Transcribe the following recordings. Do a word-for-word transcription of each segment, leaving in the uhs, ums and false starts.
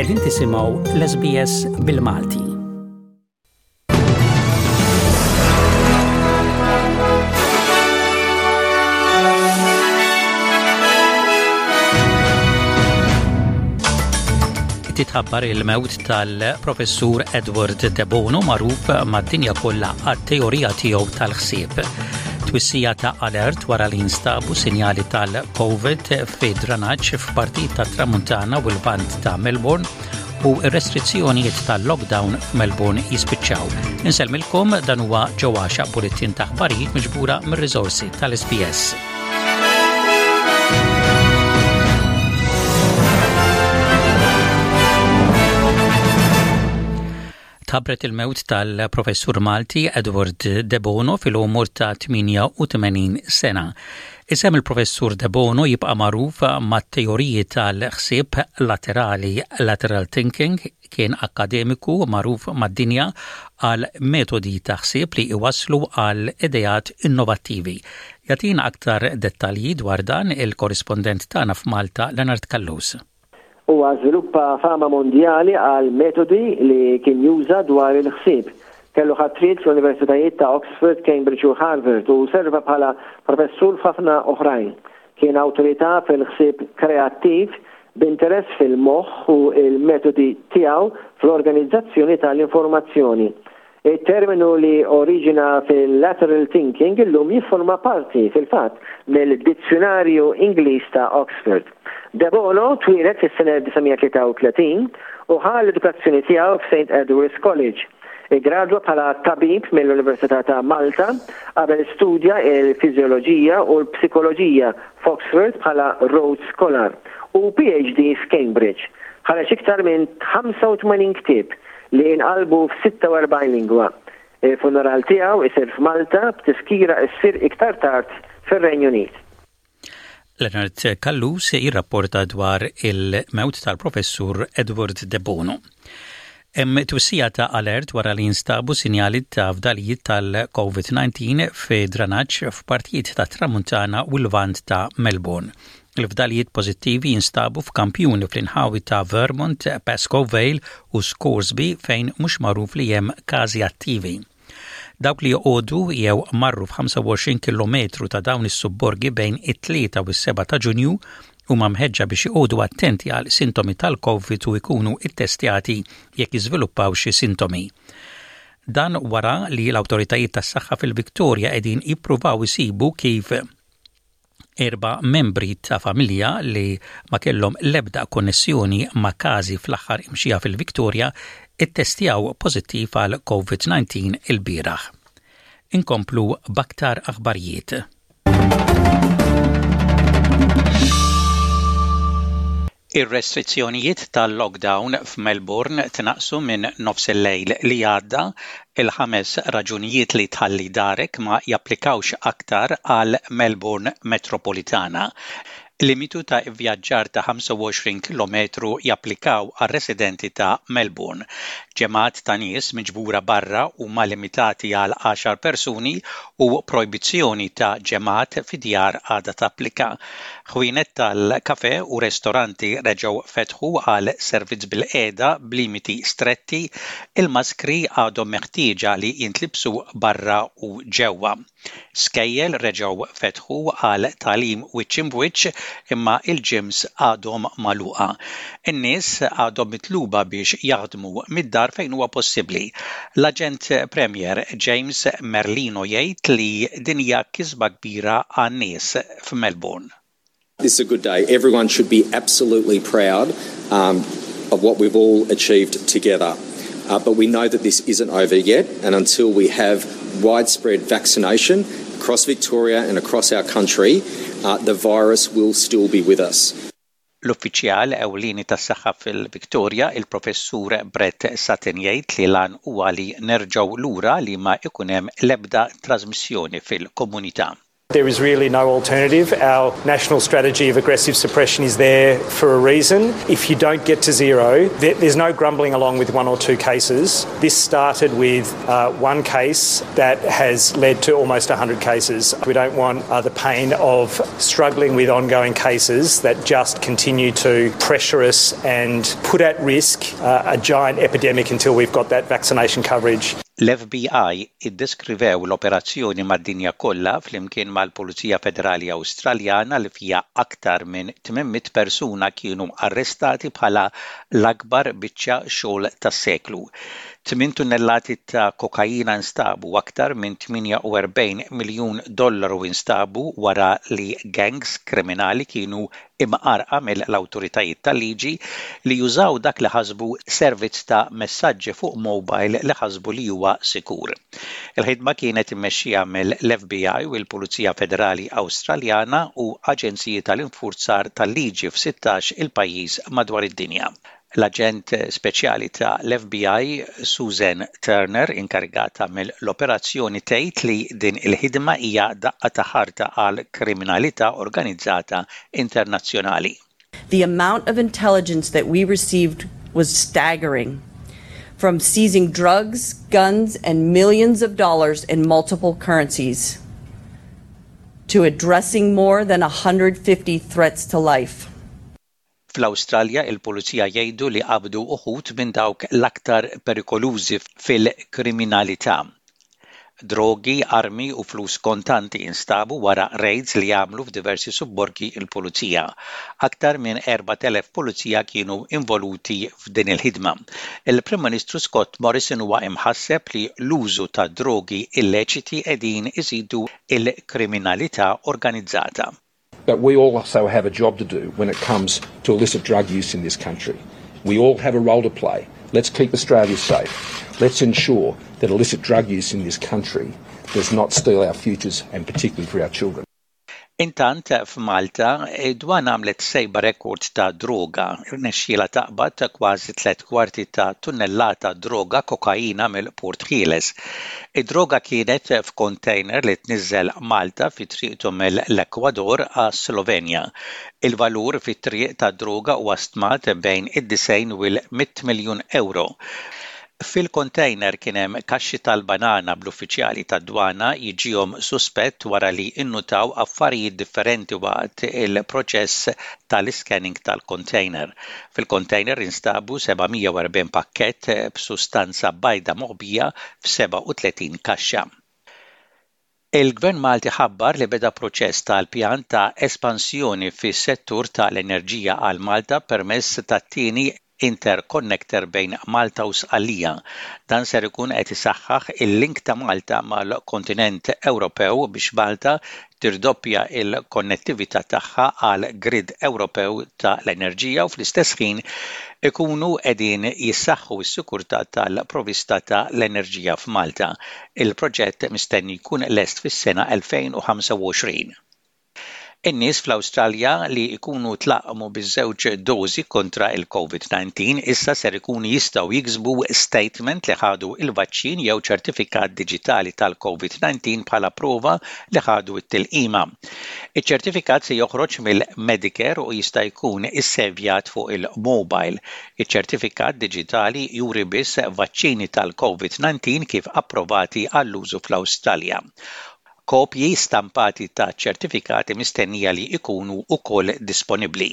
Qegħdin tisimgħu l-S B S bil-Malti. Titħabbar il-mewt tal-professur Edward de Bono, magħruf mad-dinja kollha għat-teorija tiegħu tal-ħsieb. Twissija ta' alert wara li instabu sinjali tal-COVID fi dranaġġ f'partijiet tat-Tramuntana u l-Lvant ta' Melbourne u r-restrizzjonijiet tal-lockdown f'Melbourne jispiċċaw. Insellmilkom, dan huwa ġewwaxa bulletin ta' aħbarijiet miġbura mir-riżorsi tal-S B S. Tħabbret il-mewt tal-professur Malti Edward De Bono fil-umur ta' tmienja u tmenin sena. Isem il-professur De Bono jibqa' magħruf mat-teoriji tal-ħsieb laterali, lateral thinking. Kien akademiku magħruf mad-dinja għal metodi ta' ħsieb li iwaslu għal ideat innovattivi. Jagħtina aktar dettalji dwar dan il-korrispondent tagħna f'Malta, Leonard Callus. Huwa żviluppa fama mondjali għal metodi li kien juża dwar il-ħsieb. Kellu ħatriet fl-Universitajiet ta' Oxford, Cambridge u Harvard u serva bħala professur f'ħafna oħrajn. Kien awtorità fil-ħsieb kreattiv, b'interess fil-moħħ u il-metodi tiegħu fl-organizzazzjoni tal-informazzjoni. Il-terminu li oriġina fil-lateral thinking illum jifforma parti fil-fatt mill-Dizzjonarju Ingliż ta' Oxford. De Bono twieled fis-sena elf disa' mija tlieta u tletin u ħa l-edukazzjoni tiegħu f'Saint Edward's College. Igradwa bħala tabib mill-Università ta' Malta qabel studja il-fiżjoloġija u l-psikoloġija f'Oxford bħala Rhodes Scholar u P H D f'Cambridge. Ħareġ iktar minn ħamsa u tmenin ktieb li inqalbu f'sitta u erbgħin lingwa. Il-funeral tiegħu isir f'Malta, b'tifkira issir iktar tard fir-Renju Unit. Leonard Callus jirrapporta dwar il-mewt tal-professur Edward De Bono. Hemm twissija ta' alert wara li instabu sinjali ta' fdalijiet tal-COVID nineteen fi dranaġġ f'partijiet ta' Tramuntana u l-Lvant ta' Melbourne. Il-fdalijiet pożittivi jinstabu f'kampjuni fl-inħawi ta' Vermont, Pascoe Vale u Scoresby, fejn mhux magħruf li hemm każi attivi. Dawk li joqogħdu jew marru f'ħamsa u għoxrin kilometru ta' dawn is-subborgi bejn it-tlieta u s-sebgħa ta' Ġunju huma mħeġġa biex joqogħdu attenti għal sintomi tal-COVID u jkunu ittestjati jekk jiżviluppaw xi sintomi. Dan wara li l-awtoritajiet tas-saħħa fil-Viktoria qegħdin jippruvaw isibu kif erba' membri ta' familja li ma kellhom l-ebda konnessjoni ma' każi fl-aħħar imxija fil-Viktoria ittestjaw pożittiv għal COVID nineteen il-bieraħ. Inkomplu b'aktar aħbarijiet. Ir-restrizzjonijiet tal-lockdown f'Melbourne tnaqsu minn nofs il-lejl li għadda. Il-ħames raġunijiet li tħalli darek ma japplikawx aktar għal Melbourne Metropolitana. Limitu ta' vjaġġar ta' ħamsa u għoxrin kilometru japplikaw għal residenti ta' Melbourne. Ġemgħat ta' nies miġbura barra huma limitati għal għaxar persuni u projbizzjoni ta' ġemgħat fi djar għadha tapplika. Ħwienet tal-kafe u restoranti reġgħu fetħu għal servizz bil-qiegħda b'limiti stretti. Il-maskri għadhom meħtieġa li jintlibsu barra u ġewwa. Skejjel reġgħu fetħu għal tagħlim wiċċ imbwiċċ, imma il-gyms għadhom magħluqa. In-nies għadhom mitluba biex jaħdmu mid-dar fejn huwa possibbli. L-Aġent Premier James Merlino jgħid li din hija kisba kbira għan-nies f'Melbourne. This is a good day. Everyone should be absolutely proud um, of what we've all achieved together. Uh, but we know that this isn't over yet, and until we have widespread vaccination across Victoria and across our country, uh, the virus will still be with us. L-uffiċjal ewlieni tas-saħħa fil-Victoria, il-professur Brett Sutton, jgħid li l-għan huwa li nerġgħu lura li ma ikun hemm l-ebda trasmissjoni fil-komunità. There is really no alternative. Our national strategy of aggressive suppression is there for a reason. If you don't get to zero, there's no grumbling along with one or two cases. This started with uh, one case that has led to almost a hundred cases. We don't want uh, the pain of struggling with ongoing cases that just continue to pressure us and put at risk uh, a giant epidemic until we've got that vaccination coverage. L-F B I iddeskrivew l-operazzjoni mad-dinja kollha flimkien mal-Pulizija Federali Awstraljana li fiha aktar minn tmien mitt persuna kienu arrestati bħala l-akbar biċċa xogħol tas-seklu. Tmien tunnellati ta' kokaina instabu, aktar minn tmienja u erbgħin miljun dollaru instabu wara li gangs kriminali kienu imqarqa mill-awtoritajiet tal-liġi li jużaw dak li ħasbu servizz ta' messaġġi fuq mobile li ħasbu li huwa sikur. Il-ħidma kienet immexxija mill-F B I u l-Pulizija Federali Awstraljana u aġenziji tal-infurzar tal-liġi f'sittax il-pajjiż madwar id-dinja. L-aġent speċjali ta' l-F B I Susan Turner inkarigata mill-operazzjoni tgħid li din il-ħidma hija daqqa ta' ħarta għal kriminalità organizzata internazzjonali. The amount of intelligence that we received was staggering. From seizing drugs, guns, and millions of dollars in multiple currencies to addressing more than one hundred fifty threats to life. Fl-Awstralja, il-Pulizija jgħidu li qabdu uħud minn dawk l-aktar perikolużi fil-kriminalità. Drogi, armi u flus kontanti instabu wara raids li għamlu f'diversi subborgi il-pulizija. Aktar minn erbat elef pulizija kienu involuti f'din il-ħidma. Il-Prim Ministru Scott Morrison huwa imħasseb li l-użu ta' drogi illeċiti qegħdin iżidu il-kriminalità organizzata. But we also have a job to do when it comes to illicit drug use in this country. We all have a role to play. Let's keep Australia safe. Let's ensure that illicit drug use in this country does not steal our futures, and particularly for our children. Intant f'Malta, id-dwana għamlet sejba rekord ta' droga. Irnexxiela taqbad kważi tliet kwarti ta' tunnellata droga kokaina mill-Port Ħieles. Id-droga kienet f'kontejner li tniżel Malta fi triqtu mill-Ekwador għas-Slovenja. Il-valur fit-triq ta' droga huwa stmat bejn id-disgħin u l-mitt miljun euro. Fil-kontejner kien hemm kaxxi tal-banana, bl-uffiċjali tad-dwana jiġihom suspett wara li innutaw affarijiet differenti waqt il-proċess tal-scanning tal-kontejner. Fil-kontejner instabu seba' mija u erbgħin pakkett b'sustanza bajda moħbija f'sebgħa u tletin kaxxa. Il-Gvern Malti ħabbar li beda proċess tal-pjan ta' espansjoni fis-settur tal-enerġija għal Malta permezz tat-tieni interconnector bejn Malta u Sqallija. Dan ser ikun qed isaħħaħ il-link ta' Malta mal-kontinent Ewropew biex Malta tirdoppja il-konnettività tagħha għal grid Ewropew ta' l-enerġija u fl-istess ħin ikunu qegħdin jissaħħu s-sikurtà tal-provista ta' l-enerġija f'Malta. Il-proġett mistenni jkun lest fis-sena elfejn u ħamsa u għoxrin. In-nies fl-Awstralja li jkunu tlaqqmu biż-żewġ dożi kontra il-COVID disa issa ser ikunu jistgħu jiksbu statement li ħadu il-vaċċin jew ċertifikat diġitali tal-COVID disa bħala prova li ħadu t-tilqima. Iċ-ċertifikat se joħroġ mill-Medicare u jista' jkun issevjat fuq il-mobile. Iċ-ċertifikat diġitali juri biss vaċċini tal-COVID disa kif approvati għall-użu fl-Awstralja. Kopji stampati ta' ċertifikati mistennija li ikunu ukoll disponibbli.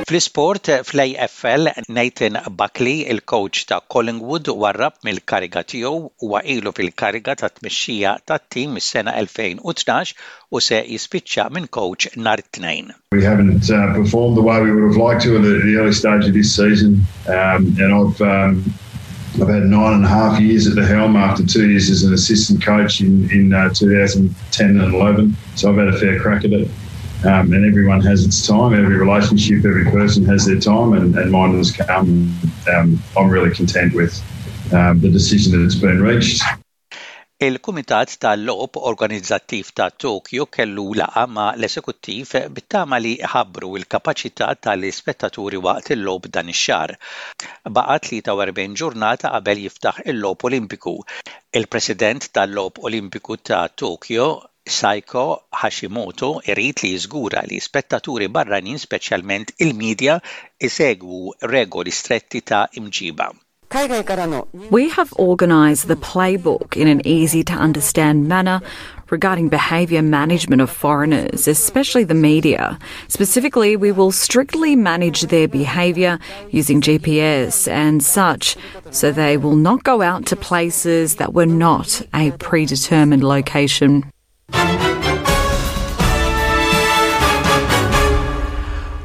Fl-isport, fl-A F L, Nathan Buckley, il-coach ta' Collingwood, warrab mill-kariga tiegħu. Huwa ilu fil-kariga ta' tmexxija tat-tim mis-sena elfejn u tnax u se jispiċċa minn coach nhar it-Tnejn. We haven't uh, performed the way we would have liked to at the, the early stage of this season, um, and I've um, I've had nine and a half years at the helm after two years as an assistant coach in in uh, twenty ten and eleven. So I've had a fair crack at it. Um, and everyone has its time. Every relationship, every person has their time, and, and mine has come. Um, I'm really content with um, the decision that has been reached. Il-Kumitat tal-Logħob Organizzattiv ta' Tokyo kellu laqgħa ma' l-esekuttiv bit-tama li jħabbru l-kapaċità tal-ispettaturi waqt il-logħob dan ix-xahar. Baqa' tlieta u erbgħin ġurnata qabel jiftaħ il-Logħob Olimpiku. Il-President tal-Logħob Olimpiku ta' Tokyo, Seiko Hashimoto, irid li jiżgura li spettaturi barranin, speċjalment il-medja, isegwu regoli stretti ta' imġiba. We have organised the playbook in an easy to understand manner regarding behaviour management of foreigners, especially the media. Specifically, we will strictly manage their behaviour using G P S and such, so they will not go out to places that were not a predetermined location.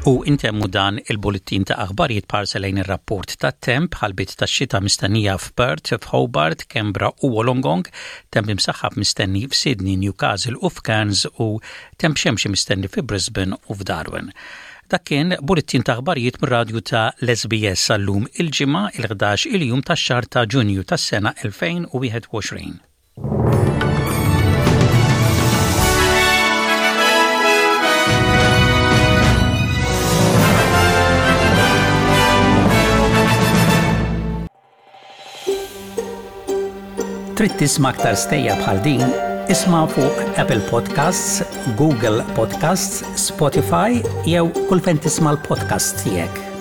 U intemmu dan il-bullettin ta' aħbarijiet b'ħarsa lejn ir-rapport ta' temp: ħalbiet ta' xita mistennija f'Perth, f'Hobart, Canberra u Wollongong, temp imsaħħab mistenni f'Sydney, Newcastle u f'Cairns u temp xemxi mistenni fi Brisbane u f'Darwin. Dak kien bullettin ta' aħbarijiet mir-radju ta' l-S B S għal-lum il-Ġimgħa, il-ħdax il-jum tax-xahar ta' Ġunju tas-sena elfejn u wieħed u għoxrin. Trid tisma' aktar stejjer bħal din? Isma' fuq Apple Podcasts, Google Podcasts, Spotify jew kull fejn tisma' l-podcast tiegħek.